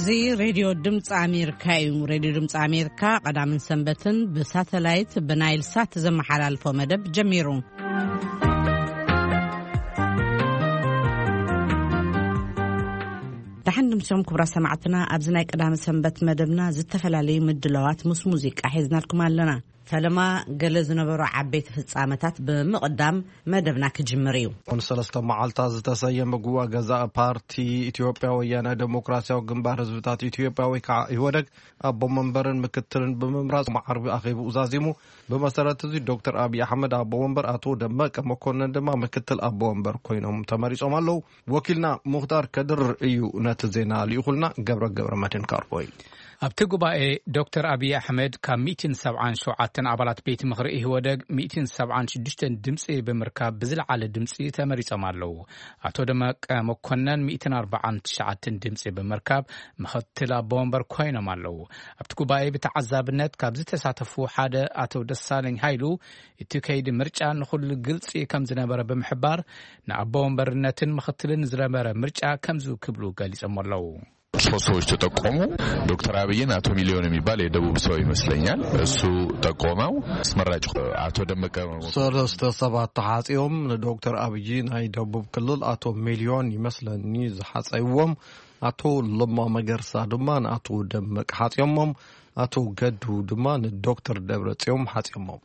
እዚ ሬድዮ ድምፂ ኣሜሪካ እዩ። ሬድዮ ድምፂ ኣሜሪካ ቀዳምን ሰንበትን ብሳተላይት ብናይል ሳት ዘመሓላልፎ መደብ ጀሚሩ። ደሓን ድምሶም ክቡራት ሰማዕትና፣ ኣብዚ ናይ ቀዳሚ ሰንበት መደብና ዝተፈላለዩ ምድላዋት ምስ ሙዚቃ ሒዝናልኩም ኣለና። ፈለማ ገለ ዝነበሩ ዓበይቲ ፍጻመታት ብምቕዳም መደብና ክጅምር እዩ። ንሰለስተ መዓልታት ዝተሰየመ ጉባኤ ገዛኢ ፓርቲ ኢትዮጵያ ወያነ ዴሞክራሲያዊ ግንባር ህዝብታት ኢትዮጵያ ወይ ከዓ ኢህወደግ ኣቦ መንበርን ምክትልን ብምምራጽ ዓርቢ ኣኼብኡ ዛዚሙ። ብመሰረት እዚ ዶክተር ኣብይ ኣሕመድ ኣቦ መንበር፣ ኣቶ ደመቀ መኮንን ድማ ምክትል ኣቦ መንበር ኮይኖም ተመሪጾም ኣለዉ። ወኪልና ሙኽታር ከድር እዩ ነቲ ዜና ልኢኹልና። ገብረ ገብረ መድህን ካርቦይ። ኣብቲ ጉባኤ ዶክተር ኣብይ ኣሕመድ ካብ ሚእትን ሰብዓን ሸውዓተን ኣባላት ቤት ምኽሪ ኢህወደግ ሚእትን ሰብዓን ሽዱሽተን ድምፂ ብምርካብ ብዝለዓለ ድምፂ ተመሪጾም ኣለዉ። ኣቶ ደመቀ መኮነን ሚእትን ኣርባዓን ትሽዓተን ድምፂ ብምርካብ ምኽትል ኣቦ ወንበር ኮይኖም ኣለዉ። ኣብቲ ጉባኤ ብተዓዛብነት ካብ ዝተሳተፉ ሓደ ኣቶ ደሳለኝ ሃይሉ፣ እቲ ከይዲ ምርጫ ንኹሉ ግልፂ ከም ዝነበረ ብምሕባር፣ ንኣቦ ወንበርነትን ምኽትልን ዝነበረ ምርጫ ከምዚ ክብሉ ገሊጾም ኣለዉ። ሶስት ሰዎች ተጠቆሙ። ዶክተር አብይን አቶ ሚሊዮን የሚባል የደቡብ ሰው ይመስለኛል፣ እሱ ጠቆመው። አስመራጭ አቶ ደመቀ። ሰለስተ ሰባት ተሓጺኦም። ንዶክተር ኣብይ ናይ ደቡብ ክልል ኣቶ ሚሊዮን ይመስለኒ ዝሓጸይዎም፣ ኣቶ ለማ መገርሳ ድማ ንኣቶ ደመቀ ሓጺዮሞም፣ ኣቶ ገዱ ድማ ንዶክተር ደብረጽዮን ሓጺዮሞም።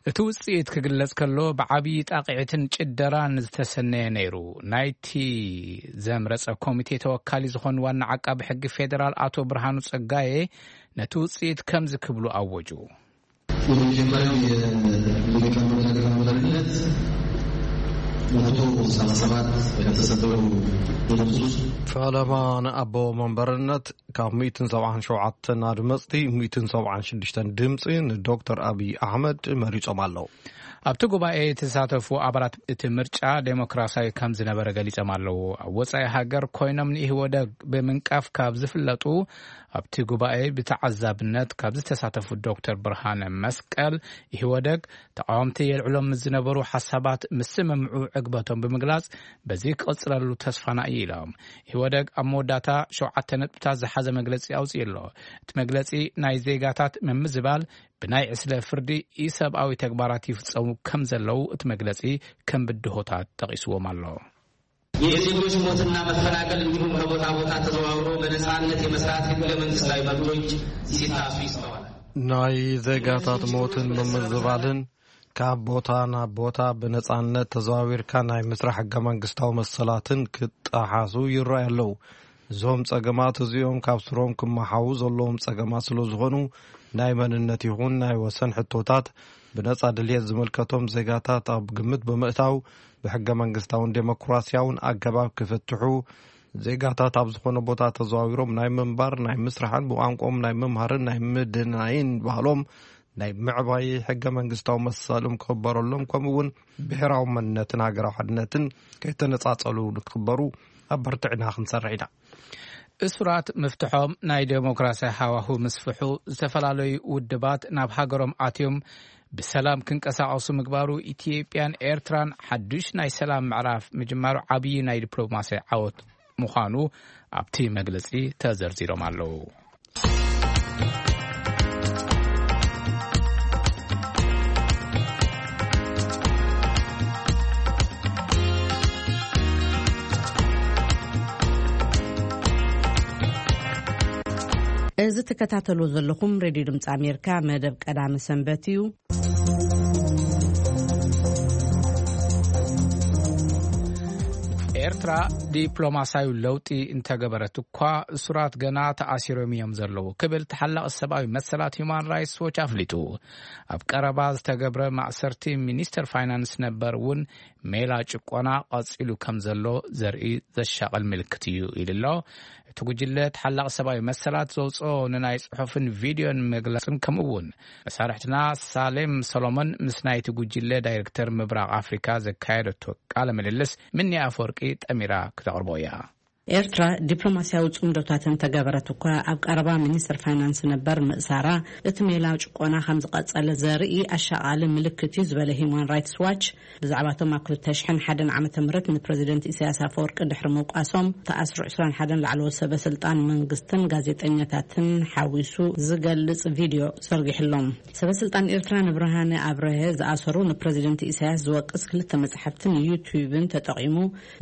እቲ ውጽኢት ክግለጽ ከሎ፣ ብዓብዪ ጣቕዒትን ጭደራን ዝተሰነየ ነይሩ። ናይቲ ዘምረጸ ኮሚቴ ተወካሊ ዝኾኑ ዋና ዓቃቢ ሕጊ ፌዴራል ኣቶ ብርሃኑ ጸጋዬ ነቲ ውጽኢት ከምዚ ክብሉ ኣወጁ። የመጀመሪያው የሊቀመንበር ሀገራዊ መሪነት መቶ ሰላሳ ሰባት ከተሰደሩ ድምፅ ውስጥ ፈለማ ንኣቦ መንበርነት ካብ ሚእትን ሰብዓን ሸውዓተን ኣድመፅቲ ሚእትን ሰብዓን ሽዱሽተን ድምፂ ንዶክተር ኣብይ ኣሕመድ መሪፆም ኣለዉ። ኣብቲ ጉባኤ የተሳተፉ ኣባላት እቲ ምርጫ ዴሞክራሲያዊ ከም ዝነበረ ገሊጾም ኣለዉ። ኣብ ወጻኢ ሃገር ኮይኖም ንኢህወደግ ብምንቃፍ ካብ ዝፍለጡ ኣብቲ ጉባኤ ብተዓዛብነት ካብ ዝተሳተፉ ዶክተር ብርሃነ መስቀል፣ ኢህወደግ ተቃወምቲ የልዕሎም ምስ ዝነበሩ ሓሳባት ምስምምዑ ዕግበቶም ብምግላጽ፣ በዚ ክቕጽለሉ ተስፋና እዩ ኢሎም። ኢህወደግ ኣብ መወዳእታ ሸውዓተ ነጥብታት ዝሓዘ መግለጺ ኣውጺኡ ኣሎ። እቲ መግለጺ ናይ ዜጋታት ምምዝባል ብናይ ዕስለ ፍርዲ ኢሰብኣዊ ተግባራት ይፍጸሙ ከም ዘለዉ እቲ መግለጺ ከም ብድሆታት ጠቒስዎም ኣሎ። የዜጎች ሞትና መፈናቀል እንዲሁም ከቦታ ቦታ ተዘዋውሮ በነጻነት የመስራት ህገ መንግስታዊ መብቶች ሲጣሱ ይስተዋላል። ናይ ዜጋታት ሞትን ምምዝባልን ካብ ቦታ ናብ ቦታ ብነጻነት ተዘዋዊርካ ናይ ምስራሕ ሕገ መንግስታዊ መሰላትን ክጠሓሱ ይረኣዩ ኣለዉ። እዞም ጸገማት እዚኦም ካብ ስሮም ክመሓዉ ዘለዎም ጸገማት ስለ ዝኾኑ፣ ናይ መንነት ይኹን ናይ ወሰን ሕቶታት ብነጻ ድልየት ዝምልከቶም ዜጋታት ኣብ ግምት ብምእታው፣ ብሕገ መንግስታውን ዴሞክራሲያውን ኣገባብ ክፍትሑ፣ ዜጋታት ኣብ ዝኾነ ቦታ ተዘዋዊሮም ናይ ምንባር፣ ናይ ምስራሕን ብቋንቋኦም ናይ ምምሃርን ናይ ምድናይን ባህሎም ናይ ምዕባይ ሕገ መንግስታዊ መሰሎም ክኽበረሎም፣ ከምኡ እውን ብሔራዊ መንነትን ሃገራዊ ሓድነትን ከይተነጻጸሉ ንክኽበሩ ኣበርቲዕና ክንሰርሕ ኢና። እሱራት ምፍትሖም፣ ናይ ዴሞክራሲ ሃዋሁ ምስፍሑ፣ ዝተፈላለዩ ውድባት ናብ ሃገሮም ኣትዮም ብሰላም ክንቀሳቐሱ ምግባሩ፣ ኢትዮጵያን ኤርትራን ሓዱሽ ናይ ሰላም ምዕራፍ ምጅማሩ ዓብዪ ናይ ዲፕሎማሲ ዓወት ምዃኑ ኣብቲ መግለጺ ተዘርዚሮም ኣለዉ። እዚ ትከታተሉ ዘለኹም ሬድዮ ድምፂ ኣሜሪካ መደብ ቀዳሚ ሰንበት እዩ። ኤርትራ ዲፕሎማሲያዊ ለውጢ እንተገበረት እኳ፣ እሱራት ገና ተኣሲሮም እዮም ዘለዉ ክብል ተሓላቒ ሰብኣዊ መሰላት ሁማን ራይትስ ዎች ኣፍሊጡ። ኣብ ቀረባ ዝተገብረ ማእሰርቲ ሚኒስተር ፋይናንስ ነበር እውን ሜላ ጭቆና ቀጺሉ ከም ዘሎ ዘርኢ ዘሻቕል ምልክት እዩ ኢሉ ኣሎ። እቲ ጉጅለ ተሓላቒ ሰብኣዊ መሰላት ዘውፅኦ ንናይ ጽሑፍን ቪድዮን መግለጽን፣ ከምኡ እውን መሳርሕትና ሳሌም ሰሎሞን ምስ ናይቲ ጉጅለ ዳይሬክተር ምብራቕ ኣፍሪካ ዘካየደቶ ቃለ ምልልስ ምኒ ኣፈወርቂ ጠሚራ ክተቕርቦ እያ። ኤርትራ ዲፕሎማስያዊ ጽምዶታት እንተገበረት እኳ፣ ኣብ ቀረባ ሚኒስትር ፋይናንስ ነበር ምእሳራ፣ እቲ ሜላ ጭቆና ከም ዝቐጸለ ዘርኢ ኣሻቓሊ ምልክት እዩ ዝበለ ሂማን ራይትስ ዋች፣ ብዛዕባቶም ኣብ ክልተ ሽሕን ሓደን ዓመተ ምህረት ንፕረዚደንት ኢሳያስ ኣፈወርቂ ድሕሪ ምውቃሶም ተኣስሩ ዕስራን ሓደን ላዕለዎት ሰበ ስልጣን መንግስትን ጋዜጠኛታትን ሓዊሱ ዝገልጽ ቪድዮ ዘርጊሕሎም። ሰበ ስልጣን ኤርትራ ንብርሃነ ኣብረሀ ዝኣሰሩ፣ ንፕረዚደንት ኢሳያስ ዝወቅስ ክልተ መጽሓፍትን ዩቱብን ተጠቒሙ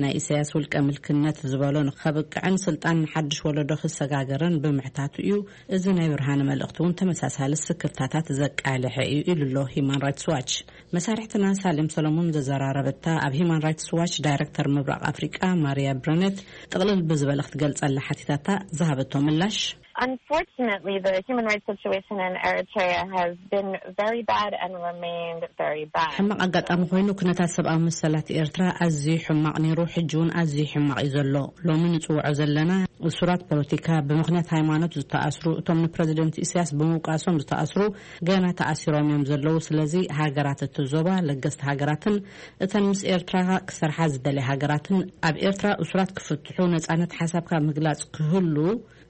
ናይ ኢሳያስ ውልቀ ምልክነት ዝበሎ ንኸብቅዕን ስልጣን ንሓድሽ ወለዶ ክሰጋገርን ብምሕታቱ እዩ። እዚ ናይ ብርሃነ መልእኽቲ እውን ተመሳሳሊ ስክፍታታት ዘቃልሐ እዩ ኢሉ ኣሎ ሂማን ራይትስ ዋች። መሳርሕትና ሳሌም ሰሎሞን ዘዘራረበታ ኣብ ሂማን ራይትስ ዋች ዳይሬክተር ምብራቕ ኣፍሪቃ ማርያ ብረነት ጥቕልል ብዝበለ ክትገልጸላ ሓቲታታ ዝሃበቶ ምላሽ፣ Unfortunately, the human rights situation in Eritrea has been very bad and remained very bad. ሕማቕ ኣጋጣሚ ኮይኑ፣ ኩነታት ሰብኣዊ መሰላት ኤርትራ ኣዝዩ ሕማቕ ነይሩ፣ ሕጂ እውን ኣዝዩ ሕማቕ እዩ ዘሎ። ሎሚ ንጽውዖ ዘለና እሱራት ፖለቲካ፣ ብምኽንያት ሃይማኖት ዝተኣስሩ፣ እቶም ንፕረዚደንት ኢሳያስ ብምውቃሶም ዝተኣስሩ ገና ተኣሲሮም እዮም ዘለዉ። ስለዚ ሃገራት እቲ ዞባ፣ ለገስቲ ሃገራትን እተን ምስ ኤርትራ ክሰርሓ ዝደልያ ሃገራትን ኣብ ኤርትራ እሱራት ክፍትሑ፣ ነጻነት ሓሳብካ ምግላጽ ክህሉ፣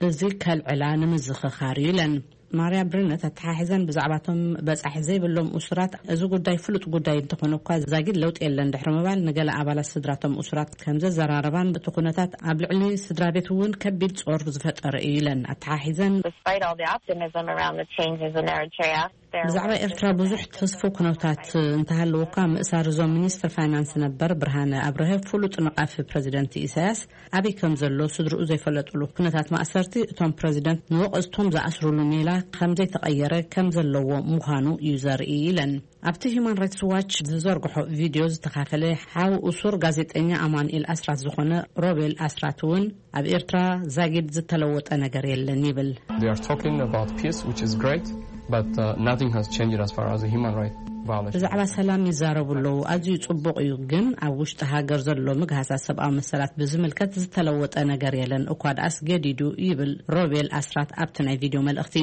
እዚ ከልዕላ ንምዝኽኻር እዩ ኢለን። ማርያ ብርነት ኣተሓሒዘን ብዛዕባቶም በጻሒ ዘይብሎም እሱራት፣ እዚ ጉዳይ ፍሉጥ ጉዳይ እንተኾነ እኳ፣ ዛጊድ ለውጢ የለን ድሕሪ ምባል፣ ንገለ ኣባላት ስድራቶም እሱራት ከም ዘዘራረባን እቲ ኩነታት ኣብ ልዕሊ ስድራ ቤት እውን ከቢድ ጾር ዝፈጠረ እዩ ኢለን ኣተሓሒዘን። Despite all the optimism around the changes in Eritrea, there ብዛዕባ was ኤርትራ ብዙሕ ተስፎ ኩነታት እንተሃለወ እኳ፣ ምእሳር እዞም ሚኒስትር ፋይናንስ ነበር ብርሃነ ኣብርሀ፣ ፍሉጥ ነቓፊ ፕረዚደንት ኢሳያስ፣ ኣበይ ከም ዘሎ ስድርኡ ዘይፈለጥሉ ኩነታት ማእሰርቲ፣ እቶም ፕረዚደንት ንወቐዝቶም ዝኣስሩሉ ሜላ ከም ዘይተቐየረ ከም ዘለዎ ምዃኑ እዩ ዘርኢ ኢለን። ኣብቲ ሂማን ራይትስ ዋች ዝዘርግሖ ቪድዮ ዝተኻፈለ ሓው እሱር ጋዜጠኛ ኣማኑኤል ኣስራት ዝኾነ ሮቤል ኣስራት እውን፣ ኣብ ኤርትራ ዛጊድ ዝተለወጠ ነገር የለን ይብል። They are talking about peace, which is great, but uh, nothing has changed as far as the human rights violation. ብዛዕባ ሰላም ይዛረቡ ኣለዉ፣ ኣዝዩ ጽቡቕ እዩ፣ ግን ኣብ ውሽጢ ሃገር ዘሎ ምግሃሳት ሰብኣዊ መሰላት ብዝምልከት ዝተለወጠ ነገር የለን፣ እኳ ደኣስ ገዲዱ ይብል ሮቤል ኣስራት ኣብቲ ናይ ቪድዮ መልእኽቲ።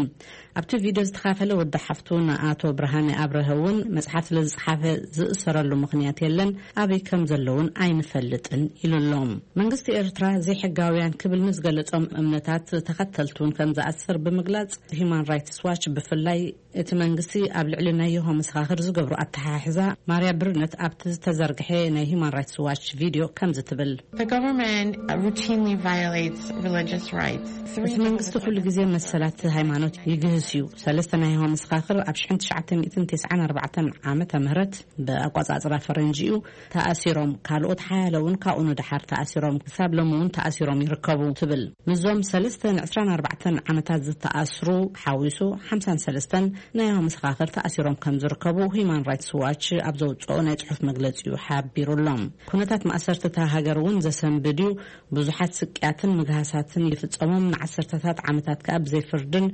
ኣብቲ ቪድዮ ዝተኻፈለ ወዲ ሓፍቱ ንኣቶ ብርሃነ ኣብረሀ እውን፣ መጽሓፍ ስለ ዝጸሓፈ ዝእሰረሉ ምኽንያት የለን፣ ኣበይ ከም ዘለውን ኣይንፈልጥን ኢሉ ኣሎ። መንግስቲ ኤርትራ ዘይሕጋውያን ክብል ንዝገለጾም እምነታት ተኸተልቲ እውን ከም ዝኣስር ብምግላጽ፣ ሂማን ራይትስ ዋች ብፍላይ እቲ መንግስቲ ኣብ ልዕሊ ናይ የሆ መሰኻኽር ዝገብሮ ኣተሓሕዛ ማርያ ብርነት ኣብቲ ዝተዘርግሐ ናይ ሂማን ራይትስ ዋች ቪድዮ ከምዚ ትብል። The government routinely violates religious rights. እቲ መንግስቲ ኩሉ ግዜ መሰላት ሃይማኖት ይግህስ እዩ። ሰለስተ ናይ የሆ መሰኻኽር ኣብ ሽሕን ትሽዓተ ሚእትን ተስዓን ኣርባዕተን ዓመተ ምህረት ብኣቋጻጽራ ፈረንጂ እዩ ተኣሲሮም። ካልኦት ሓያለ እውን ካብኡ ንደሓር ተኣሲሮም፣ ክሳብ ሎሚ እውን ተኣሲሮም ይርከቡ ትብል። ምስዞም ሰለስተ ንዕስራን ኣርባዕተን ዓመታት ዝተኣስሩ ሓዊሱ ሓምሳን ሰለስተን ናይ የሆ መሰኻኽር ተኣሲሮም ከም ዝርከቡ ሂማን ራይትስ ዋች ኣብ ዘውጽኦ ናይ ጽሑፍ መግለጺኡ ሓቢሩ ኣሎ። ኩነታት ማእሰርቲ እታ ሃገር እውን ዘሰንብድ እዩ። ብዙሓት ስቅያትን ምግሃሳትን ይፍጸሞም፣ ንዓሰርተታት ዓመታት ከኣ ብዘይ ፍርድን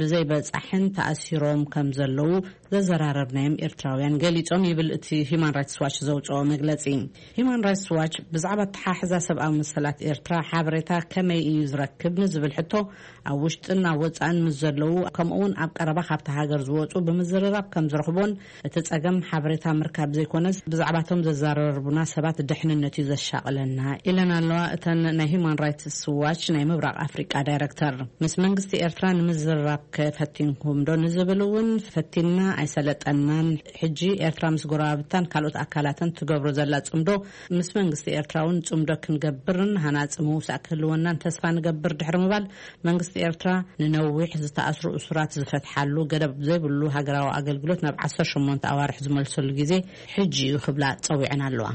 ብዘይ በጻሕን ተኣሲሮም ከም ዘለዉ ዘዘራረብናዮም ኤርትራውያን ገሊጾም ይብል እቲ ሂማን ራይትስ ዋች ዘውጽኦ መግለጺ። ሂማን ራይትስ ዋች ብዛዕባ ኣተሓሕዛ ሰብኣዊ መሰላት ኤርትራ ሓበሬታ ከመይ እዩ ዝረክብ ንዝብል ሕቶ፣ ኣብ ውሽጥን ኣብ ወጻእን ምስ ዘለዉ፣ ከምኡውን ኣብ ቀረባ ካብቲ ሃገር ዝወጹ ብምዝርራብ ከም ዝረኽቦን፣ እቲ ጸገም ሓበሬታ ምርካብ ዘይኮነስ ብዛዕባቶም ዘዘራርቡና ሰባት ድሕንነት እዩ ዘሻቕለና ኢለን ኣለዋ እተን ናይ ሂማን ራይትስ ዋች ናይ ምብራቕ ኣፍሪቃ ዳይረክተር። ምስ መንግስቲ ኤርትራ ንምዝርራብ ከፈቲንኩም ዶ ንዝብል እውን፣ ፈቲንና ኣይሰለጠናን። ሕጂ ኤርትራ ምስ ጎረባብታን ካልኦት ኣካላትን ትገብሮ ዘላ ጽምዶ፣ ምስ መንግስቲ ኤርትራ እውን ጽምዶ ክንገብርን ሃናጺ ምውሳእ ክህልወናን ተስፋ ንገብር ድሕሪ ምባል፣ መንግስቲ ኤርትራ ንነዊሕ ዝተኣስሩ እሱራት ዝፈትሓሉ፣ ገደብ ዘይብሉ ሃገራዊ ኣገልግሎት ናብ ዓሰርተ ሸሞንተ ኣዋርሕ ዝመልሰሉ ግዜ ሕጂ እዩ ክብላ ጸዊዐን ኣለዋ።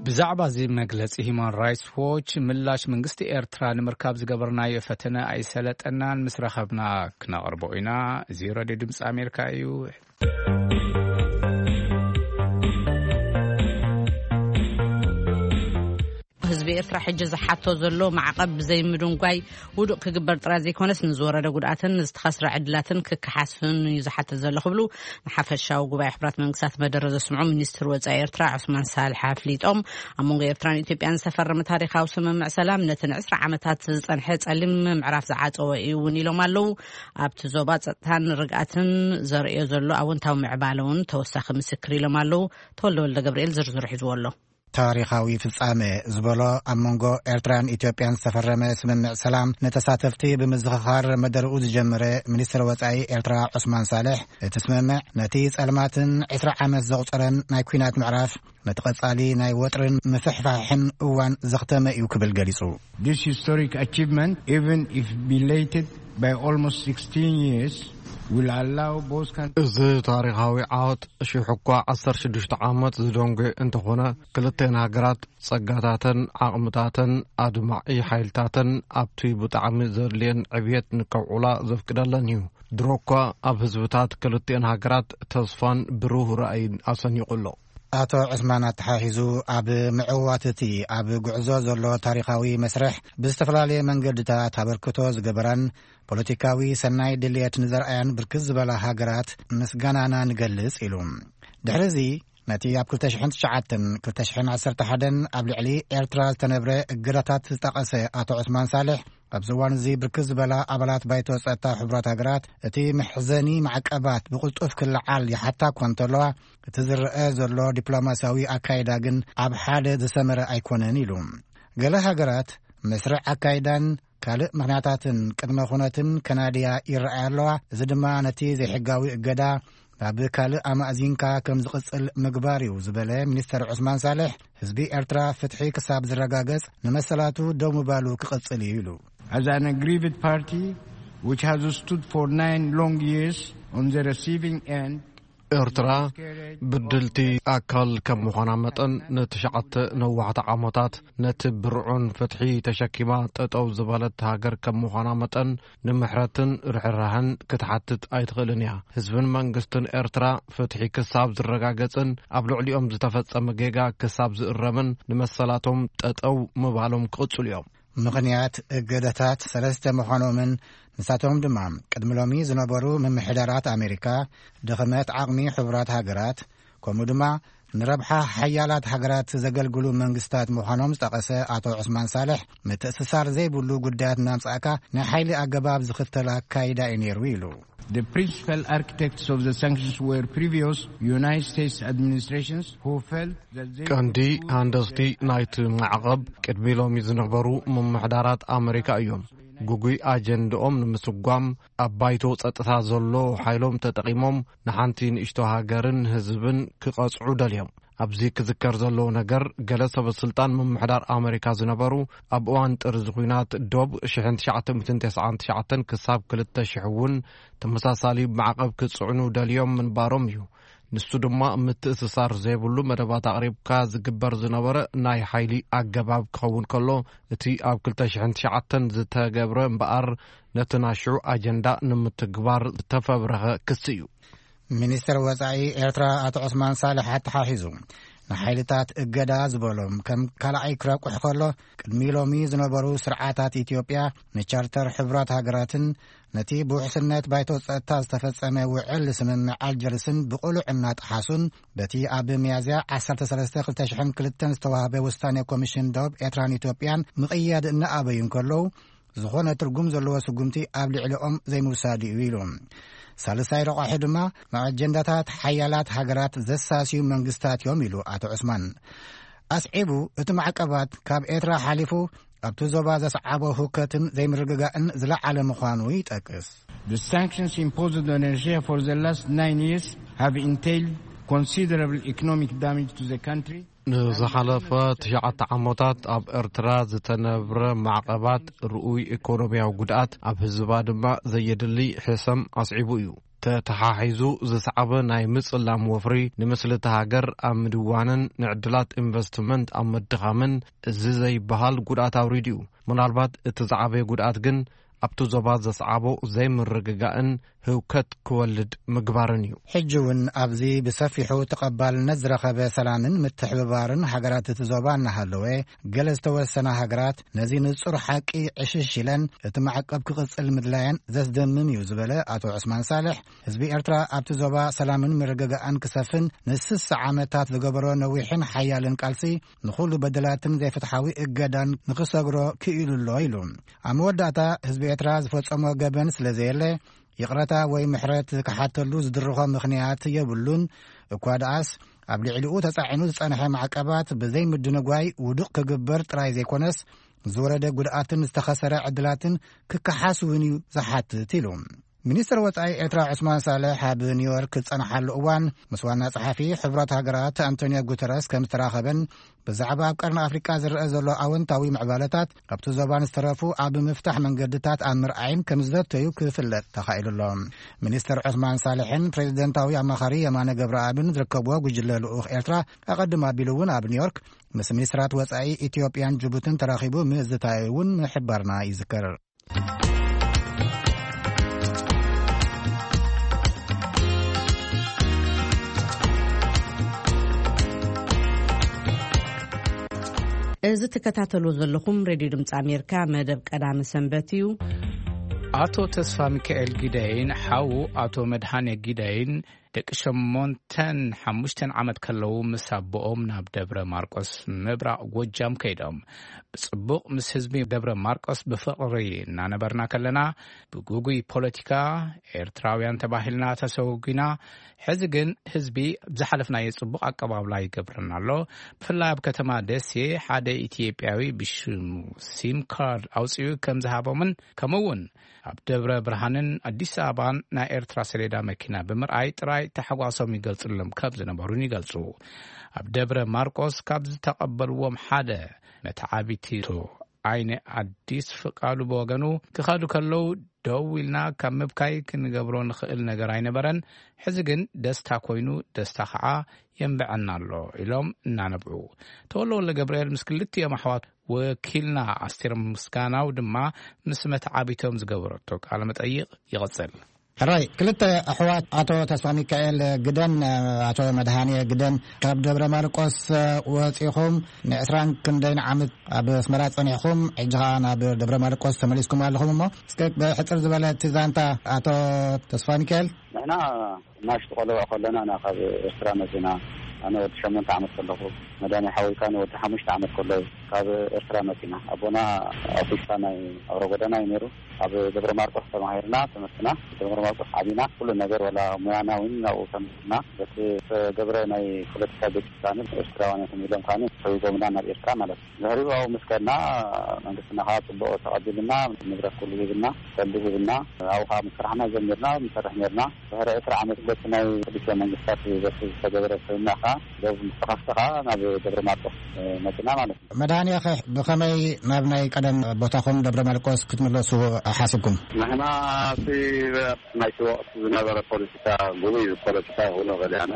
ብዛዕባ እዚ መግለጺ ሂማን ራይትስ ዎች ምላሽ መንግስቲ ኤርትራ ንምርካብ ዝገበርናዮ ፈተነ ኣይሰለጠናን፣ ምስ ረኸብና ክነቕርቦ ኢና። እዚ ሬድዮ ድምፂ ኣሜሪካ እዩ። ህዝቢ ኤርትራ ሕጂ ዝሓቶ ዘሎ ማዕቐብ ብዘይ ምድንጓይ ውዱቕ ክግበር ጥራይ ዘይኮነስ፣ ንዝወረደ ጉድኣትን ንዝተኸስረ ዕድላትን ክከሓስን እዩ ዝሓትት ዘሎ ክብሉ ንሓፈሻዊ ጉባኤ ሕቡራት መንግስታት መደረ ዘስምዑ ሚኒስትር ወጻኢ ኤርትራ ዑስማን ሳልሕ ኣፍሊጦም። ኣብ መንጎ ኤርትራን ኢትዮጵያን ዝተፈረመ ታሪኻዊ ስምምዕ ሰላም፣ ነቲ ንዕስራ ዓመታት ዝጸንሐ ጸሊም ምዕራፍ ዝዓጸወ እዩ እውን ኢሎም ኣለዉ። ኣብቲ ዞባ ጸጥታን ርግኣትን ዘርእዮ ዘሎ ኣወንታዊ ምዕባለ እውን ተወሳኺ ምስክር ኢሎም ኣለዉ። ተወልደ ወልደ ገብርኤል ዝርዝሩ ሒዝዎ ኣሎ። ታሪኻዊ ፍጻመ ዝበሎ ኣብ መንጎ ኤርትራን ኢትዮጵያን ዝተፈረመ ስምምዕ ሰላም ንተሳተፍቲ ብምዝኽኻር መደርኡ ዝጀመረ ሚኒስትር ወጻኢ ኤርትራ ዑስማን ሳልሕ፣ እቲ ስምምዕ ነቲ ጸልማትን ዕስራ ዓመት ዘቑጸረን ናይ ኲናት ምዕራፍ፣ ነቲ ቀጻሊ ናይ ወጥርን ምፍሕፋሕን እዋን ዘኽተመ እዩ ክብል ገሊጹ። This historic achievement, even if belated by almost sixteen years, will allow both countries እዚ ታሪኻዊ ዓወት ሽሕ እኳ ዓሰርተ ሽዱሽተ ዓመት ዝደንጎ እንተኾነ፣ ክልተን ሃገራት ጸጋታተን ዓቕምታተን ኣድማዒ ሓይልታተን ኣብቲ ብጣዕሚ ዘድልየን ዕብየት ንከውዕላ ዘፍቅደለን እዩ። ድሮ እኳ ኣብ ህዝብታት ክልተን ሃገራት ተስፋን ብሩህ ራእይን ኣሰኒቑ ኣሎ። ኣቶ ዑስማን ኣተሓሒዙ፣ ኣብ ምዕዋት እቲ ኣብ ጉዕዞ ዘሎ ታሪኻዊ መስርሕ ብዝተፈላለየ መንገድታት ኣበርክቶ ዝገበራን ፖለቲካዊ ሰናይ ድልየት ንዘርኣያን ብርክት ዝበላ ሃገራት ምስጋናና ንገልጽ ኢሉ። ድሕሪ እዚ ነቲ ኣብ ክልተ ሽሕን ትሽዓተን ክልተ ሽሕን ዓሰርተ ሓደን ኣብ ልዕሊ ኤርትራ ዝተነብረ እገዳታት ዝጠቐሰ ኣቶ ዑስማን ሳልሕ፣ ኣብዚ እዋን እዚ ብርክት ዝበላ ኣባላት ባይቶ ጸጥታ ሕቡራት ሃገራት እቲ መሕዘኒ ማዕቀባት ብቕልጡፍ ክለዓል ይሓታ እኳ እንተለዋ፣ እቲ ዝረአ ዘሎ ዲፕሎማስያዊ ኣካይዳ ግን ኣብ ሓደ ዝሰመረ ኣይኮነን ኢሉ። ገለ ሃገራት መስርዕ ኣካይዳን ካልእ ምኽንያታትን ቅድመ ኩነትን ከናድያ ይረኣያ ኣለዋ። እዚ ድማ ነቲ ዘይሕጋዊ እገዳ ናብ ካልእ ኣማእዚንካ ከም ዝቕጽል ምግባር እዩ ዝበለ ሚኒስተር ዑስማን ሳልሕ፣ ህዝቢ ኤርትራ ፍትሒ ክሳብ ዝረጋገጽ ንመሰላቱ ደው ምባሉ ክቕጽል እዩ ኢሉ። As an aggrieved party which has stood for nine long years on the receiving end, ኤርትራ ብድልቲ ኣካል ከም ምዃና መጠን፣ ንትሽዓተ ነዋሕቲ ዓመታት ነቲ ብርዑን ፍትሒ ተሸኪማ ጠጠው ዝበለት ሃገር ከም ምዃና መጠን፣ ንምሕረትን ርሕራህን ክትሓትት ኣይትኽእልን እያ። ህዝብን መንግስትን ኤርትራ ፍትሒ ክሳብ ዝረጋገጽን ኣብ ልዕሊኦም ዝተፈጸመ ጌጋ ክሳብ ዝእረምን ንመሰላቶም ጠጠው ምባሎም ክቕጽሉ እዮም። ምኽንያት እገዳታት ሰለስተ ምዃኖምን ንሳቶም ድማ ቅድሚ ሎሚ ዝነበሩ ምምሕዳራት ኣሜሪካ፣ ድኽመት ዓቕሚ ሕቡራት ሃገራት፣ ከምኡ ድማ ንረብሓ ሓያላት ሃገራት ዘገልግሉ መንግስታት ምዃኖም ዝጠቐሰ ኣቶ ዑስማን ሳልሕ፣ ምትእስሳር ዘይብሉ ጉዳያት እናምጻእካ ናይ ሓይሊ ኣገባብ ዝኽተል ኣካይዳ እዩ ነይሩ ኢሉ። The principal architects of the sanctions were previous United States administrations who felt that they ቀንዲ ሃንደስቲ ናይቲ ማዕቐብ ቅድሚ ሎሚ ዝነበሩ ምምሕዳራት ኣመሪካ እዮም። ግጉይ ኣጀንድኦም ንምስጓም ኣብ ባይቶ ጸጥታ ዘሎ ሓይሎም ተጠቒሞም ንሓንቲ ንእሽቶ ሃገርን ህዝብን ክቐጽዑ ደልዮም። ኣብዚ ክዝከር ዘለዎ ነገር፣ ገለ ሰበ ስልጣን ምምሕዳር ኣመሪካ ዝነበሩ ኣብ እዋን ጥርዚ ኲናት ዶብ ሽሕን ትሽዓተ ሚእትን ተስዓን ትሽዓተን ክሳብ ክልተ ሽሕ እውን ተመሳሳሊ ማዕቐብ ክጽዕኑ ደልዮም ምንባሮም እዩ። ንሱ ድማ ምትእስሳር ዘይብሉ መደባት ኣቕሪብካ ዝግበር ዝነበረ ናይ ሓይሊ ኣገባብ ክኸውን ከሎ፣ እቲ ኣብ ክልተ ሽሕን ትሽዓተን ዝተገብረ እምበኣር ነቲ ናይ ሽዑ ኣጀንዳ ንምትግባር ዝተፈብረኸ ክሲ እዩ። ሚኒስትር ወጻኢ ኤርትራ ኣቶ ዑስማን ሳልሕ ኣተሓሒዙ፣ ንሓይልታት እገዳ ዝበሎም ከም ካልኣይ ክረቁሕ ከሎ፣ ቅድሚ ሎሚ ዝነበሩ ስርዓታት ኢትዮጵያ ንቻርተር ሕቡራት ሃገራትን ነቲ ብውሕስነት ባይቶ ጸጥታ ዝተፈጸመ ውዕል ስምምዕ ኣልጀርስን ብቕሉዕ እናጠሓሱን፣ በቲ ኣብ ሚያዝያ ዓሰርተ ሰለስተ ክልተ ሽሕን ክልተን ዝተዋህበ ውሳኔ ኮሚሽን ዶብ ኤርትራን ኢትዮጵያን ምቕያድ እናኣበዩ እንከለዉ፣ ዝኾነ ትርጉም ዘለዎ ስጉምቲ ኣብ ልዕሊኦም ዘይምውሳድ እዩ ኢሉ። ሳልሳይ ረቋሒ ድማ ንኣጀንዳታት ሓያላት ሃገራት ዘሳስዩ መንግስታት እዮም ኢሉ ኣቶ ዑስማን። ኣስዒቡ፣ እቲ ማዕቀባት ካብ ኤርትራ ሓሊፉ ኣብቲ ዞባ ዘስዓቦ ህውከትን ዘይምርግጋእን ዝለዓለ ምዃኑ ይጠቅስ። The sanctions imposed on Eritrea for the last nine years have entailed considerable economic damage to the country. ንዝሓለፈ ትሽዓተ ዓመታት ኣብ ኤርትራ ዝተነብረ ማዕቐባት ርኡይ ኢኮኖሚያዊ ጉድኣት፣ ኣብ ህዝባ ድማ ዘየድሊ ሕሰም ኣስዒቡ እዩ። ተተሓሒዙ ዝሰዓበ ናይ ምጽላም ወፍሪ፣ ንምስሊ እታ ሃገር ኣብ ምድዋንን ንዕድላት ኢንቨስትመንት ኣብ ምድኻምን እዚ ዘይበሃል ጉድኣት ኣውሪዱ እዩ። ምናልባት እቲ ዝዓበየ ጉድኣት ግን ኣብቲ ዞባ ዘስዓቦ ዘይምርግጋእን ህውከት ክወልድ ምግባርን እዩ። ሕጂ እውን ኣብዚ ብሰፊሑ ተቐባልነት ዝረኸበ ሰላምን ምትሕብባርን ሃገራት እቲ ዞባ እናሃለወ፣ ገለ ዝተወሰና ሃገራት ነዚ ንጹር ሓቂ ዕሽሽ ኢለን እቲ ማዕቀብ ክቕጽል ምድላየን ዘስደምም እዩ ዝበለ ኣቶ ዑስማን ሳልሕ፣ ህዝቢ ኤርትራ ኣብቲ ዞባ ሰላምን ምርግጋእን ክሰፍን ንስሳ ዓመታት ዝገበሮ ነዊሕን ሓያልን ቃልሲ፣ ንኹሉ በደላትን ዘይፍትሓዊ እገዳን ንኽሰግሮ ክኢሉ ኣሎ ኢሉ። ኣብ መወዳእታ፣ ህዝቢ ኤርትራ ዝፈጸሞ ገበን ስለ ዘየለ፣ ይቕረታ ወይ ምሕረት ክሓተሉ ዝድርኾ ምኽንያት የብሉን። እኳ ደኣስ፣ ኣብ ልዕሊኡ ተጻዒኑ ዝጸንሐ ማዕቀባት ብዘይምድንጓይ ውዱቕ ክግበር ጥራይ ዘይኮነስ፣ ዝወረደ ጉድኣትን ዝተኸሰረ ዕድላትን ክከሓስ እውን እዩ ዝሓትት ኢሉ። ሚኒስትር ወጻኢ ኤርትራ ዑስማን ሳልሕ ኣብ ኒውዮርክ ዝጸንሓሉ እዋን ምስ ዋና ጸሓፊ ሕቡራት ሃገራት ኣንቶኒዮ ጉተረስ ከም ዝተራኸበን ብዛዕባ ኣብ ቀርኒ ኣፍሪቃ ዝረአ ዘሎ ኣወንታዊ ምዕባለታት ኣብቲ ዞባን ዝተረፉ ኣብ ምፍታሕ መንገድታት ኣብ ምርኣይን ከም ዝዘተዩ ክፍለጥ ተኻኢሉ ኣሎ። ሚኒስተር ዑስማን ሳልሕን ፕሬዚደንታዊ ኣማኻሪ የማነ ገብረኣብን ዝርከብዎ ጉጅለ ልኡኽ ኤርትራ ኣቐድም ኣቢሉ እውን ኣብ ኒውዮርክ ምስ ሚኒስትራት ወጻኢ ኢትዮጵያን ጅቡትን ተራኺቡ ምዝታዩ እውን ምሕባርና ይዝከር። እዚ ትከታተልዎ ዘለኹም ሬድዮ ድምፂ ኣሜሪካ መደብ ቀዳመ ሰንበት እዩ። ኣቶ ተስፋ ሚካኤል ጊዳይን ሓዉ ኣቶ መድሃኔ ጊዳይን ደቂ ሸሞንተን ሓሙሽተን ዓመት ከለዉ ምስ ኣቦኦም ናብ ደብረ ማርቆስ ምብራቕ ጎጃም ከይዶም። ብጽቡቕ ምስ ህዝቢ ደብረ ማርቆስ ብፍቕሪ እናነበርና ከለና፣ ብጉጉይ ፖለቲካ ኤርትራውያን ተባሂልና ተሰጉጊና። ሕዚ ግን ህዝቢ ዝሓለፍናዮ ጽቡቕ ኣቀባብላ ይገብረና ኣሎ። ብፍላይ ኣብ ከተማ ደሴ ሓደ ኢትዮጵያዊ ብሽሙ ሲም ካርድ ኣውጺኡ ከም ዝሃቦምን፣ ከምኡ እውን ኣብ ደብረ ብርሃንን ኣዲስ ኣበባን ናይ ኤርትራ ሰሌዳ መኪና ብምርኣይ ጥራይ ታሕጓሶም ይገልጽሎም ከም ዝነበሩን ይገልጹ። ኣብ ደብረ ማርቆስ ካብ ዝተቐበልዎም ሓደ መተዓቢቲ ኣይነ ኣዲስ ፍቃዱ ብወገኑ፣ ክኸዱ ከለዉ ደው ኢልና ካብ ምብካይ ክንገብሮ ንኽእል ነገር ኣይነበረን። ሕዚ ግን ደስታ ኮይኑ፣ ደስታ ኸዓ የንብዐና ኣሎ ኢሎም እናነብዑ፣ ተወልደ ወልደ ገብርኤል ምስ ክልቲኦም ኣሕዋት ወኪልና ኣስቴር ምስጋናው ድማ ምስ መተዓቢቶም ዝገበረቶ ቃለ መጠይቕ ይቕጽል። ሕራይ፣ ክልተ ኣሕዋት ኣቶ ተስፋ ሚካኤል ግደን ኣቶ መድሃኔ ግደን ካብ ደብረ ማርቆስ ወጺኹም ንዕስራን ክንደይን ዓመት ኣብ ኣስመራ ጸኒሕኩም፣ ሕጂ ኸኣ ናብ ደብረ ማርቆስ ተመሊስኩም ኣለኹም። እሞ እስከ ብሕጽር ዝበለ እቲ ዛንታ ኣቶ ተስፋ ሚካኤል። ንሕና እናሽቱ ቆልዑ ከለና ኢና ካብ ኤርትራ መጺና። ኣነ ወዲ ሸሞንተ ዓመት ከለኹ፣ መድሃኔ ሓወይ ከኣ ንወዲ ሓሙሽተ ዓመት ከሎ እዩ ካብ ኤርትራ መጺና። ኣቦና ኣውቲስታ ናይ ኣውራ ጎዳና እዩ ነይሩ። ኣብ ደብረ ማርቆስ ተማሂርና ትምህርትና። ደብረ ማርቆስ ዓቢና፣ ኩሉ ነገር፣ ዋላ ሙያና እውን ኣብኡ ተምሂርና። በቲ ዝተገብረ ናይ ፖለቲካ ግጭት ከኣ ኤርትራውያን እዮም ኢሎም ከኣ ሰጒጎምና ናብ ኤርትራ ማለት እዩ። ድሕሪኡ ኣብኡ ምስ ከድና መንግስትና ከኣ ጽቡቕ ተቐቢሉና፣ ንብረት ኩሉ ሂብና፣ ሰልዲ ሂብና። ኣብኡ ከኣ ምስ ሰራሕና ጀሚርና፣ ንሰርሕ ነርና። ድሕሪ ዕስራ ዓመት በቲ ናይ ክልቲኦም መንግስታት በቲ ዝተገበረ ስምምዕ ከኣ ዶብ ምስ ተኸፍተ ከኣ ናብ ደብረ ማርቆስ መጺና ማለት እዩ። መድሃኔኸ ብኸመይ ናብ ናይ ቀደም ቦታኹም ደብረ ማርቆስ ክትምለሱ ሓሲብኩም? ንሕና እቲ ናይቲ ወቕቲ ዝነበረ ፖለቲካ፣ ጉቡይ ፖለቲካ ይኹን ገሊኣና፣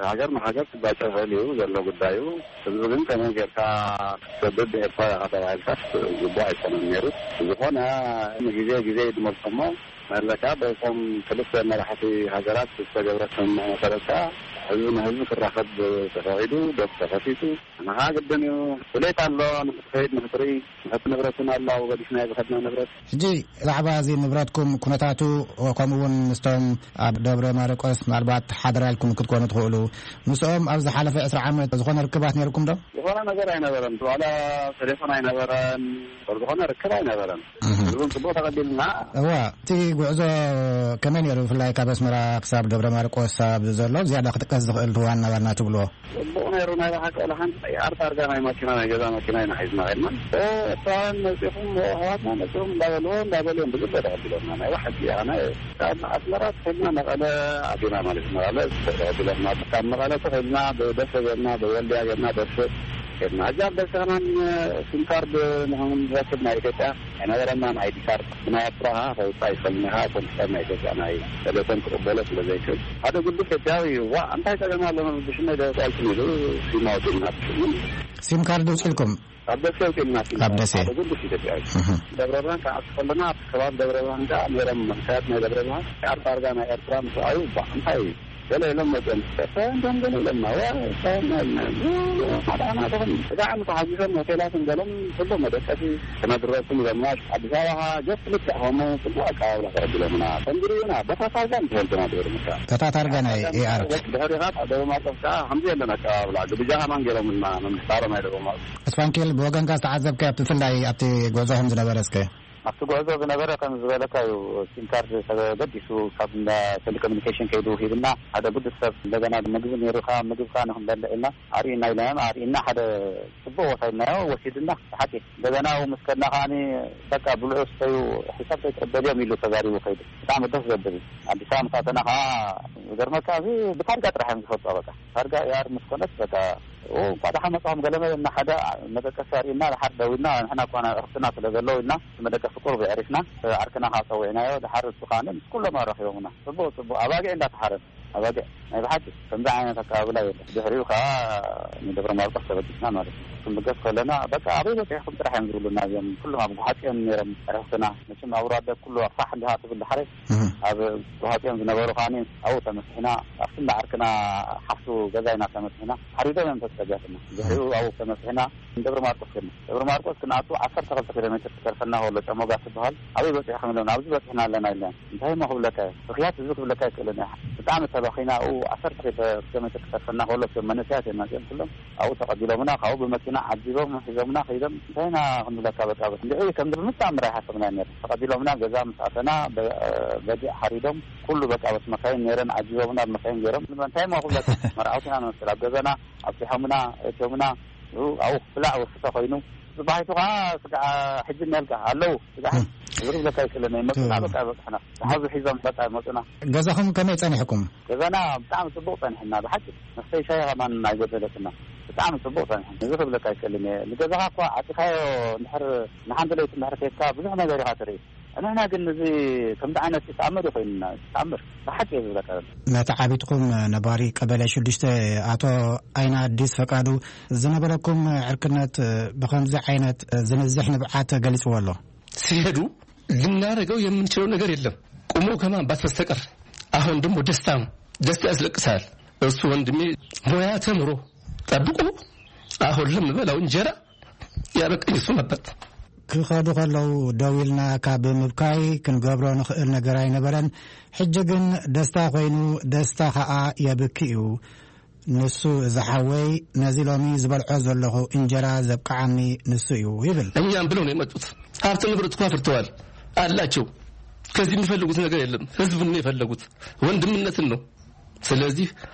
ሃገር ንሃገር ክጋጨ ይኽእል እዩ ዘሎ ጉዳዩ። ህዝቢ ግን ከመይ ጌርካ ክትሰድድ ኤርትራ ኢኻ ተባሂልካስ ግቡእ ኣይኮነን ነይሩ። ዝኾነ ንግዜ ግዜ ይድመልኮሞ መለካ በቶም ክልተ መራሕቲ ሃገራት ዝተገብረ ስምምዕ መሰረት ከኣ ህዝቢ ንህዝቢ ክራኸብ ተፈቒዱ፣ ዶብ ተኸፊቱ። ንኻ ግድን እዩ። ድሌት ኣሎ፣ ንኽትኸይድ፣ ንኽትርኢ። ንኸቲ ንብረት እውን ኣሎ፣ ኣብኡ ገዲፍና ዝኸድና ንብረት። ሕጂ ብዛዕባ እዚ ንብረትኩም ኩነታቱ፣ ከምኡ እውን ምስቶም ኣብ ደብረ ማርቆስ ምናልባት ሓደራ ኢልኩም ክትኮኑ ትኽእሉ፣ ምስኦም ኣብ ዝሓለፈ ዕስራ ዓመት ዝኾነ ርክባት ነይርኩም ዶ? ዝኾነ ነገር ኣይነበረን። ዋላ ቴሌፎን ኣይነበረን። ዝኾነ ርክብ ኣይነበረን። እህ። ህዝቡን ጽቡቕ ተቐቢልና። እዋ፣ እቲ ጉዕዞ ከመይ ነይሩ? ብፍላይ ካብ ኣስመራ ክሳብ ደብረ ማርቆስ ኣብ ዘሎ ዝያዳ ክጥቀስ ዝኽእል ዋና ዋና ትብልዎ? ጽቡቕ ነይሩ። ናይ ብሓቂ፣ ወላ ሓንቲ ቀያር ታርጋ ናይ ማኪና፣ ናይ ገዛ ማኪና ኢና ሒዝና ኸድና። እ፣ ኤርትራውያን መጺኹም፣ ኣሕዋትና መጺኹም እንዳበልዎ፣ እንዳበልዎም ብግደ ተቐቢሎምና። ናይ ብሓቂ፣ ኣነ ካብ ኣስመራ ተኸድና መቐለ ኣቲና ማለት እዩ። መቐለ ተቐቢሎምና። ካብ መቐለ ተኸድና ብደሴ ጌርና፣ ብወልድያ ጌርና፣ ደሴ ጌርና። እዛ ኣብ ደሴ ከማን ሲም ካርድ ንኽንረክብ ናይ ኢትዮጵያ ኣይነበረናን። ኣይዲ ካርድ ብናይ ኤርትራ ከውጻእ ይኽእል ኢኻ፣ ኮምፒተር ናይ ኢትዮጵያ ናይ ቴሌኮም ክቕበሎ ስለ ዘይክእል፣ ሓደ ግዱስ ኢትዮጵያዊ እዩ። ዋ፣ እንታይ ጸገም ኣሎ? ብሽመይ ዶ ጻልኩም ኢሉ ሲም ኣውጺእና። ሲም ካርድ ውጽልኩም? ኣብ ደሴ ኣውጺእና ሲም ኣብ ካርድ። ደሴ። ሓደ ግዱስ ኢትዮጵያዊ። እህ። ደብረ ብርሃን ክኣቱ ከለና፣ ኣብቲ ከባቢ ደብረ ብርሃን ከኣ ነይሮም መንእሰያት ናይ ደብረ ብርሃን። ካርድ ዳርጋ ናይ ኤርትራ ምስ ረኣዩ፣ ዋ፣ እንታይ እዩ? ገለ ኢሎም መጺኦም። ኤርትራውያን ዶም ገለ ኢሎምና። ዋ፣ ኤርትራውያን ኢሎምና። ሓደ ዓመት ተኾይኑ። እዛ ዓመት ተሓጒሶም ሆቴላትን ገሎም ጽቡቕ መደቀሲ ክነድረኩም ኢሎምና። ኣዲስ ኣበባ ኸኣ ጀስት ልክዕ ከምኡ ጽቡቕ ኣቀባብላ ተቐቢሎምና። ከምዚ ርኡና፣ በታ ታርጋ ንትፈልጥና ድሕሪ ምካ። በታ ታርጋ ናይ ኤኣር። ድሕሪ ኻብ ደብረ ማርቆስ ከኣ ከምዚ የለን ኣቀባብላ። ግብጃ ከማን ገይሮምልና፣ መንግስቲ ኣሮም ናይ ደብረ ማርቆስ። እስፋንኬል፣ ብወገንካ ዝተዓዘብካዮ፣ ብፍላይ ኣብቲ ጉዕዞኹም ዝነበረ እስከ? ኣብቲ ጉዕዞ ዝነበረ ከም ዝበለካ እዩ። ሲም ካርድ ተገዲሱ ካብ እንዳ ቴሌኮሙኒኬሽን ከይዱ ሂብና፣ ሓደ ግዱስ ሰብ እንደገና ምግቢ ነይሩ፣ ካብ ምግብካ ንክንበልዕ ኢልና ኣርእዩና ኢልናዮም፣ ኣርእዩና ሓደ ጽቡቕ ቦታ ኢልናዮ ወሲድና። ብሓቂ እንደገና ኣብኡ ምስ ከድና ከዓኒ በቃ ብልዑ ስተዩ፣ ሒሳብ ከይትቕበልዮም ኢሉ ተዛሪቡ ከይዱ። ብጣዕሚ ደስ ዘብል እዩ። ኣዲስ ኣበባ ምስ ኣተና ከዓ ዝገርመካ እዚ ብታርጋ ጥራሕ እዮም ዝፈልጦ። በቃ ታርጋ ኤኣር ምስ ኮነት በቃ ኦ፣ እንኳዕ ደሓን መጻኹም ገለመ እና ሓደ መደቀሲ ኣርእዩና፣ ድሓር ደው ኢልና፣ ንሕና እኳ ዕርፍትና ስለ ዘለዉ ኢልና፣ እቲ መደቀሲ ቁሩብ የዕሪፍና፣ ዓርክና ከዓ ጸዊዕናዮ፣ ድሓር እሱ ከዓኒ ምስ ኩሎም ኣራኺቦምና። ጽቡቕ፣ ጽቡቕ፣ ኣባጊዕ እንዳተሓረደ፣ ኣባጊዕ፣ ናይ ብሓቂ ከምዚ ዓይነት ኣቀባብላ የለን። ድሕሪኡ ከዓ ንደብረ ማርቆስ ተበጊስና ማለት እዩ። ክንብገስ ከለና፣ በቃ ኣበይ በጺሕኩም ጥራሕ እዮም ዝብሉና እዚኦም። ኩሎም ኣብ ጉሓጽ እዮም ነይሮም፣ ዕርፍትና። መቸም ኣብ ራደ ኩሉ ፋሕ እንዲኻ ትብል ድሓረይ፣ እህ። ኣብ ጉሓጽ እዮም ዝነበሩ ከዓኒ ኣብኡ ተመሲሕና፣ ኣብቲ እንዳ ዓርክና ሓፍቱ ገዛ ኢና ተመሲሕና። ሓሪዶም እዮም ተጸጋትና። ድሕሪኡ ኣብኡ ተመሲሕና ንደብረ ማርቆስ ከድና። ደብረ ማርቆስ ክንኣቱ ዓሰርተ ክልተ ኪሎ ሜትር ክተርፈና ከሎ ጨሞጋ ትበሃል። ኣበይ በጺሕኩም ኢሎም፣ ኣብዚ በጺሕና ኣለና ኢልና። እንታይ እሞ ክብለካ እየ? ብኽያት ህዝቢ ክብለካ ኣይክእልን እየ። ብጣዕሚ ተባኺና ኣብኡ ዓሰርተ ኪሎ ሜትር ክተርፈና ከሎ እቶም መንእሰያት እዮም መጺኦም ኩሎም። ኣብኡ ተቐቢሎምና፣ ካብኡ ብመኪና ዓጂቦም ሒዞምና ከይዶም። እንታይ ኢና ክንብለካ፣ በቃ እንድዒ ከም ብምትኣምር ኣይሓሰብናዮ ነይርና። ተቐቢሎምና ገዛ ምስ ኣተና በ-፣ በጊዕ ሓሪዶም ኩሉ በቃ በቲ መካይን ነይረን ዓጂቦምና፣ ብመካይን ገይሮም። እንታይ እሞ ክብለካ፣ መርዓውቲ ኢና ንመስል። ኣብ ገዛና ኣብጺሖምና፣ እትዮምና፣ ኣብኡ ክብላዕ ወስተ ኮይኑ። ጽባሒቱ ከኣ ስጋዕ ሕጂ እኒአልካ ኣለዉ። ስጋዕ እም። እዚ ክብለካ ኣይክእልን እየ። መጹና፣ እም። በቃ በጽሕና። ዝሓዙ ሒዞም በቃ መጹና። ገዛኹም ከመይ ጸኒሕኩም? ገዛና ብጣዕሚ ጽቡቕ ጸኒሕና። ብሓቂ መስተይ ሻሂ ከማን ኣይጎደለትና። ብጣዕሚ ጽቡቕ ጸኒሕና። እዚ ክብለካ ኣይክእልን እየ። ንገዛኻ እኳ ዓጺኻዮ እንድሕር ንሓንቲ ለይቲ እንድሕር ከይድካ ብዙሕ ነገር ኢኻ ትርኢ። ንሕና ግን እዚ ከምዚ ዓይነት ተኣምር እዩ ኮይኑና። ተኣምር ብሓቂ እየ ዝብለካ ዘሎ። ነቲ ዓቢጥኩም ነባሪ ቀበሌ ሽዱሽተ ኣቶ ኣይና ኣዲስ ፈቃዱ ዝነበረኩም ዕርክነት ብኸምዚ ዓይነት ዝንዝሕ ንብዓት ገሊጽዎ ኣሎ። ሲሄዱ ልናደርገው የምንችለው ነገር የለም። ቁሞ ከማንባት በስተቀር። አሁን ደግሞ ደስታ ነው። ደስታ ያስለቅሳል። እሱ ወንድሜ ሙያ ተምሮ ጠብቆ አሁን ለምበላው እንጀራ ያበቃኝ እሱ ነበር። ክኸዱ ከለዉ ደው ኢልና ካብ ምብካይ ክንገብሮ ንኽእል ነገር ኣይነበረን። ሕጂ ግን ደስታ ኮይኑ፣ ደስታ ኸኣ የብኪ እዩ። ንሱ እዚ ሓወይ ነዚ ሎሚ ዝበልዖ ዘለኹ እንጀራ ዘብቅዓኒ ንሱ እዩ ይብል። እኛም ብለው ነው የመጡት። ሀብት ንብረት እኮ አፍርተዋል አላቸው። ከዚህ የሚፈልጉት ነገር የለም። ህዝቡን ነው የፈለጉት፣ ወንድምነትን ነው። ስለዚህ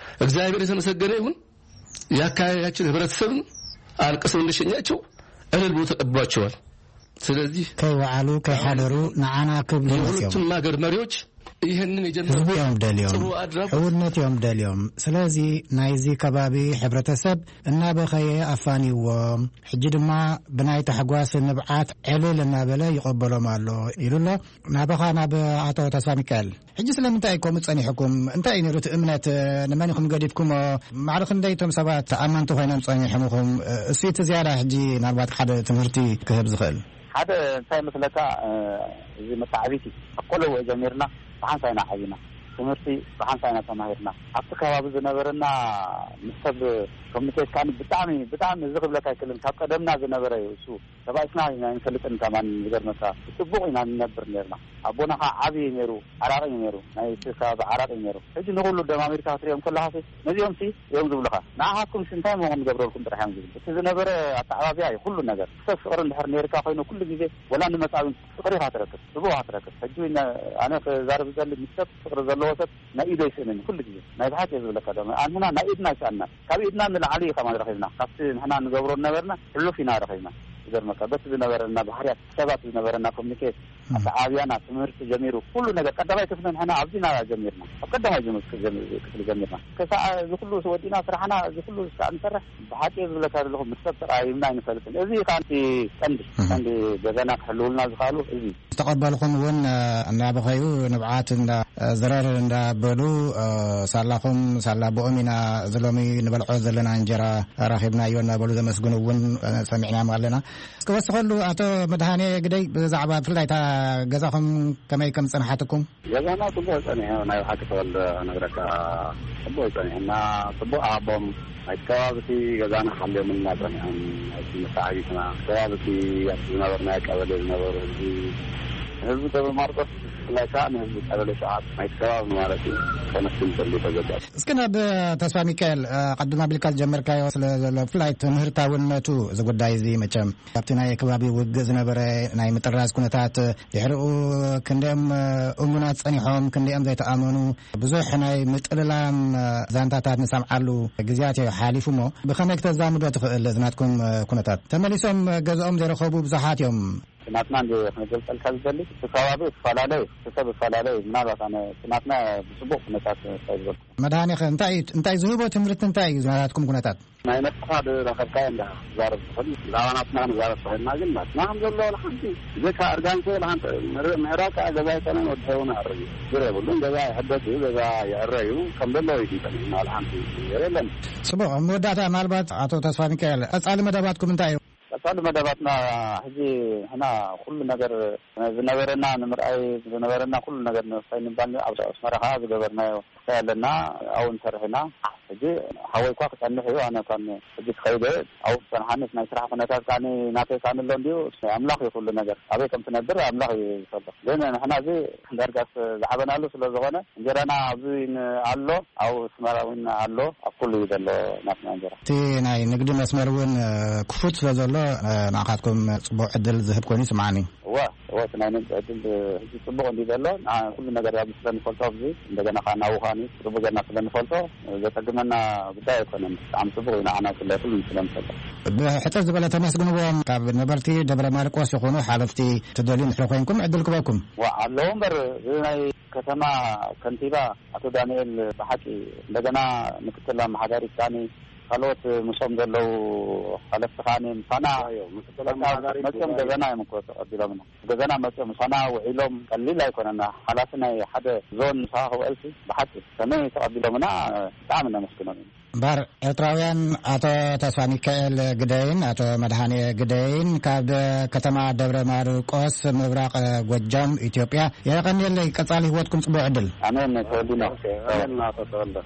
እግዚአብሔር የተመሰገነ ይሁን። የአካባቢያችን ህብረተሰብም አልቅሰው እንደሸኛቸው እልል ብሎ ተቀብሏቸዋል። ስለዚህ ከይወዓሉ ከይሓደሩ ንዓና ክብሉ መጽዮም። የሁለቱም ሀገር መሪዎች ይህንን የጀመሩት ህዝቢ እዮም ደልዮም፣ ጥሩ አድራጎት ሕውነት እዮም ደልዮም። ስለዚ ናይዚ ከባቢ ሕብረተሰብ እናበኸየ ኣፋንይዎም፣ ሕጂ ድማ ብናይ ታሕጓስ ንብዓት ዕልል እናበለ ይቐበሎም ኣሎ ኢሉ ኣሎ። ናባኻ ናብ ኣቶ ተስፋ ሚካኤል። ሕጂ ስለምንታይ እዩ ከምኡ ጸኒሕኩም? እንታይ እዩ ነይሩ እቲ እምነት? ንመን ኢኹም ገዲፍኩሞ? ማዕረ ክንደይ እቶም ሰባት ኣመንቲ ኮይኖም ጸኒሖም ኢኹም? እሱ እቲ ዝያዳ ሕጂ ናልባት ሓደ ትምህርቲ ክህብ ዝኽእል። ሓደ እንታይ መስለካ፣ እዚ መተዓቢቲ ካብ ቆለውኦ ጀሚርና ብሓንሳብ ኢና ዓቢና። ትምህርቲ ብሓንሳብ ኢና ተማሂርና። ኣብቲ ከባቢ ዝነበረና ምስ ሰብ ኮሚኒኬት ከኣ ብጣዕሚ፣ ብጣዕሚ እዚ ክብለካ ኣይክእልን። ካብ ቀደምና ዝነበረ እዩ እሱ። ተባኢስና ኢና ኣይንፈልጥን። ከማን ዝገርመካ ብጽቡቕ ኢና ንነብር ነርና። ኣቦና ኸዓ ዓቢ እዩ ነይሩ፣ ዓራቒ እዩ ነይሩ፣ ናይ እቲ ከባቢ ዓራቒ እዩ ነይሩ። ሕጂ ንኹሉ ደማሚርካ ክትሪኦም ከለኻሲ ነዚኦምሲ እዮም ዝብሉኻ። ንዓኻትኩምሲ እንታይ እሞ ክንገብረልኩም ጥራሕ እዮም ዝብሉ። እቲ ዝነበረ ኣተዓባብያ እዩ ኩሉ ነገር። ሰብ ፍቕሪ እንድሕር ነይርካ ኮይኑ ኩሉ ግዜ ወላ ንመጻብን ፍቕሪ ኢኻ ትረክብ፣ ጽቡቕ ኢኻ ትረክብ። ሕጂ ነ-፣ ኣነ ክዛረብ ዝደሊ ምስ ሰብ ፍቕሪ ዘለዎ ሰብ ናይ ኢዱ ኣይስእንን ኩሉ ግዜ። ናይ ብሓቂ እየ ዝብለካ ደማ። ኣንሕና ናይ ኢድና ኣይሰኣንናን። ካብ ኢድና ንላዕሊ እዩ ከማን ረኺብና። ካብቲ ንሕና ንገብሮ ዝነበርና ሕሉፍ ኢና ረኺብና። ዝገርመካ በቲ ዝነበረና ባህርያት ሰባት ዝነበረና ኮሚኒኬት፣ እም። ኣተዓብያና፣ ትምህርቲ ጀሚሩ፣ ኩሉ ነገር ቀዳማይ ክፍሊ ንሕና ኣብዚና ጀሚርና። ኣብ ቀዳማይ ጀም-፣ ክፍሊ ጀሚርና። ከሳዕ እዚ ኩሉ ወዲእና ስራሕና፣ እዚ ኩሉ ስራዕ ንሰርሕ፣ ብሓቂ እየ ዝብለካ ዘለኹ፣ ምስ ሰብ ተቐያይምና ኣይንፈልጥን። እዚ እዩ ከኣ እቲ ቀንዲ፣ እም። ቀንዲ ገዛና ክሕልውልና ዝኸኣሉ እዚ። ዝተቐበልኹም እውን፣ እ፣ እናበኸዩ ንብዓት እንዳ፣ እ፣ ዝረር እንዳበሉ፣ እ፣ ሳላኹም ሳላ ብኦም ኢና እዚ ሎሚ ንበልዖ ዘለና እንጀራ ረኺብናዮ እናበሉ ዘመስግኑ እውን፣ እ፣ ሰሚዕናዮም ኣለና። እስከ ወስኸሉ ኣቶ መድሃኔ ግደይ ብዛዕባ ብፍላይ እታ ገዛኹም ከመይ ከም ዝጸንሓትኩም? ገዛና ጽቡቕ ጸኒሑ፣ ናይ ብሓቂ ተወልደ ክነግረካ ጽቡቕ ጸኒሑና፣ ጽቡቕ ኣቦም ናይቲ ከባቢ እቲ ገዛና ሓልዮምልና ጸኒሖም፣ ናይቲ መተዓቢትና ከባቢ እቲ ኣብቲ ዝነበርናዮ ቀበሌ ዝነበሩ ህዝቢ፣ ህዝቢ ደብረ ማርቆስ ብፍላይ ከዓ ንህዝቢ ቀበሌ ሸውዓተ ናይቲ ከባቢ ማለት እዩ፣ ከመስግን ይፈሊ ተገባእ። እስኪ ናብ ተስፋ ሚካኤል፣ እ፣ ቀድም ኣቢልካ ዝጀመርካዮ ስለ ዘሎ ብፍላይ ትምህርታውነቱ እዚ ጉዳይ እዚ መቸም ኣብቲ ናይ ከባቢ ውግእ ዝነበረ ናይ ምጥራዝ ኩነታት ድሕሪኡ ክንደኦም፣ እ፣ እሙናት ጸኒሖም፣ ክንደኦም ዘይተኣመኑ ብዙሕ ናይ ምጥልላም፣ እ፣ ዛንታታት ንሰምዓሉ ግዜያት እዩ ሓሊፉ እሞ ብኸመይ ክተዛምዶ ትኽእል እዚ ናትኩም፣ እ፣ ኩነታት? ተመሊሶም ገዝኦም ዘይረኸቡ ብዙሓት እዮም። ናትና እንደ ክንገልጸልካ ዝደሊ እቲ ከባቢ ይፈላለዩ፣ እቲ ሰብ ይፈላለዩ። ምናልባት ኣነ እቲ ናትና ብጽቡቕ ኩነታት እንታይ ዝበልኩ። መድሃኔኸ እንታይ እዩ፣ እንታይ ዝህቦ ትምህርቲ እንታይ እዩ ናትኩም ኩነታት? ናይ ነፍስኻ ዝረኸብካዮ እንዳ ትዛረብ ትኽእል። ብዛዕባ ናትና ክንዛረብ ተኾይንና ግን ናትና ከም ዘሎ ዋላ ሓንቲ ብዘይካ እርጋን ከ ዋላ ሓንቲ ምር-፣ ምሕራቅ ከዓ ገዛ ኣይኮነን ወዲ ሰብን ኣዕርዩ። ችግር የብሉን። ገዛ ይሕደስ እዩ፣ ገዛ ይዕረ እዩ። ከም ዘለዎ እዩ ግን ጸኒሕና ዋላ ሓንቲ ነገር የለን። ጽቡቕ። ኣብ መወዳእታ ምናልባት ኣቶ ተስፋ ሚካኤል ቀጻሊ መደባትኩም እንታይ እዩ? ቀጻሊ መደባትና ሕጂ ንሕና ኩሉ ነገር ዝነበረና ንምርኣይ ዝነበረና ኩሉ ነገር ንኸይንባል ኣብ ኣስመራ ከዓ ዝገበርናዮ ክሳይ ኣለና ኣብኡ ንሰርሕ ኢና። ሕጂ ሓወይ እኳ ክጸንሕ እዩ፣ ኣነ እኳ ሕጂ ክኸይደ ኣብኡ ክጸንሓኒስ ናይ ስራሕ ኩነታት ከዓኒ ናተይ ከዓኒ ኣሎ እንድዩ። ኣምላኽ እዩ ኩሉ ነገር ኣበይ ከም ትነብር ኣምላኽ እዩ ዝፈልጥ። ግን ንሕና እዚ ዳርጋስ ዝዓበናሉ ስለ ዝኾነ እንጀራና ኣብዚ ን-፣ ኣሎ፣ ኣብ ኣስመራ እውን ኣሎ፣ ኣብ ኩሉ እዩ ዘሎ ናትና እንጀራ። እቲ ናይ ንግዲ መስመር እውን፣ እ፣ ክፉት ስለ ዘሎ፣ እ፣ ንዓኻትኩም ጽቡቕ ዕድል ዝህብ ኮይኑ ይስምዓኒ። እወ፣ እወ፣ እቲ ናይ ንግዲ ዕድል፣ እ፣ ሕጂ ጽቡቕ እንዲ ዘሎ፣ ንዓ-፣ ኩሉ ነገር ኣብዚ ስለ ንፈልጦ ኣብዚ፣ እንደገና ከዓ ናብኡ ከዓኒ ጽቡቕ ጌርና ስለ ንፈልጦ፣ እ፣ ዘጸግመና ጉዳይ ኣይኮነን። ብጣዕሚ ጽቡቕ እዩ ንዓና ብፍላይ ኩሉ ስለ ንፈልጦ። ብሕጽር ዝበለ ተመስግንዎም ካብ ነበርቲ ደብረ ማርቆስ ይኹኑ ሓለፍቲ ትደልዩ እንድሕር ኮይንኩም ዕድል ክበኩም። ዋ፣ ኣለዉ እምበር፣ እዚ ናይ ከተማ ከንቲባ ኣቶ ዳንኤል ብሓቂ እንደገና ምክትል ኣመሓዳሪት ከዓኒ ካልኦት ምስኦም ዘለዉ ሓለፍቲ ከዓኒ ምሳና ኣዮ፣ ምክትል በቃ ኣመሓዳሪት መፅኦም ጉባኤ። ገዛና እዮም እኮ ተቐቢሎምና። ገዛና መፅኦም ምሳና ውዒሎም ቀሊል ኣይኮነና። ሓላፊ ናይ ሓደ ዞን ምሳኻ ክውዕልሲ ብሓቂ ከመይ ተቐቢሎምና ብጣዕሚ ነመስግኖም ኢና። እምበኣር ኤርትራውያን ኣቶ ተስፋ ሚካኤል ግደይን ኣቶ መድሃኔ ግደይን ካብ ከተማ ደብረ ማርቆስ ምብራቕ ጎጃም ኢትዮጵያ። የቐንየለይ፣ ቀጻሊ ህይወትኩም ጽቡቕ ዕድል። ኣሜን ተወልዲና። ኣሜን ናቶ ተወልደ።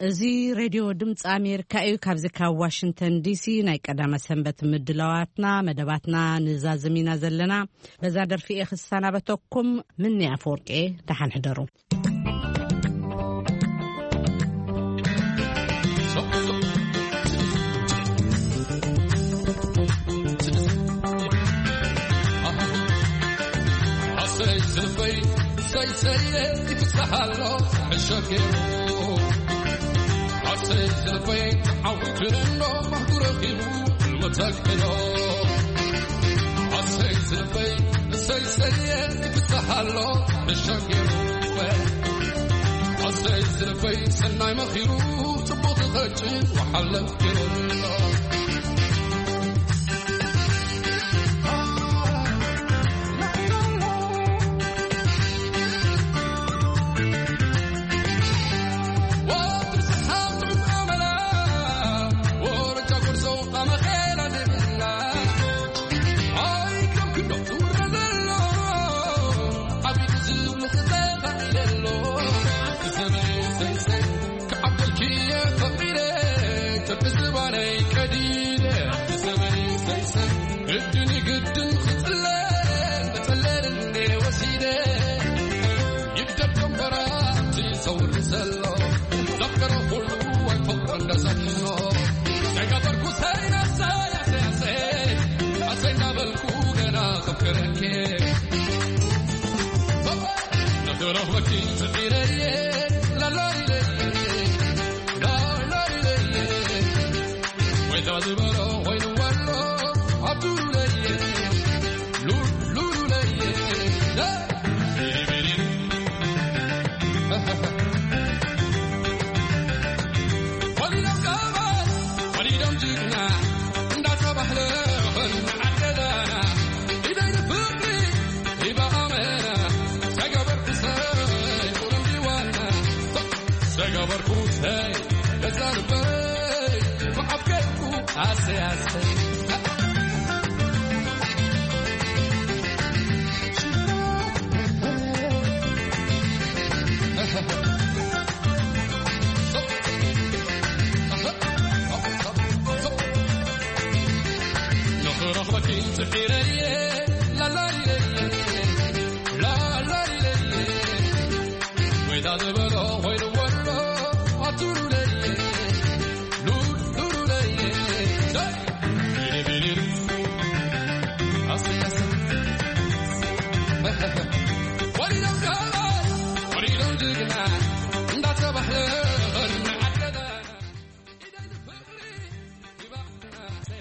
እዚ ሬድዮ ድምፂ ኣሜሪካ እዩ። ካብዚ ካብ ዋሽንግተን ዲሲ ናይ ቀዳመ ሰንበት ምድላዋትና መደባትና ንዛዝም ኢና ዘለና። በዛ ደርፊ እየ ክሰናበተኩም። ምኒ ኣፈወርቂ፣ ደሓን ሕደሩ። ኣሰይ ዝልበይ ሰይሰየ ይፍሳሓሎ ሕሸገሩ ኣሰይ ዝልበይ ዓዊቱ እንዶ ባህጉ ረኺቡ ህልሙ ተግሕዶ ኣሰይ ዝልበይ ሰይሰየ ይፍሳሓሎ ሕሸገሩ ኣሰይ ዝልበይ ሰናይ መኺሩ ጽቡቕ ዝኸጭ ወሓለፍ ገይሩ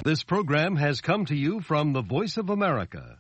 This program has come to you from the Voice of America,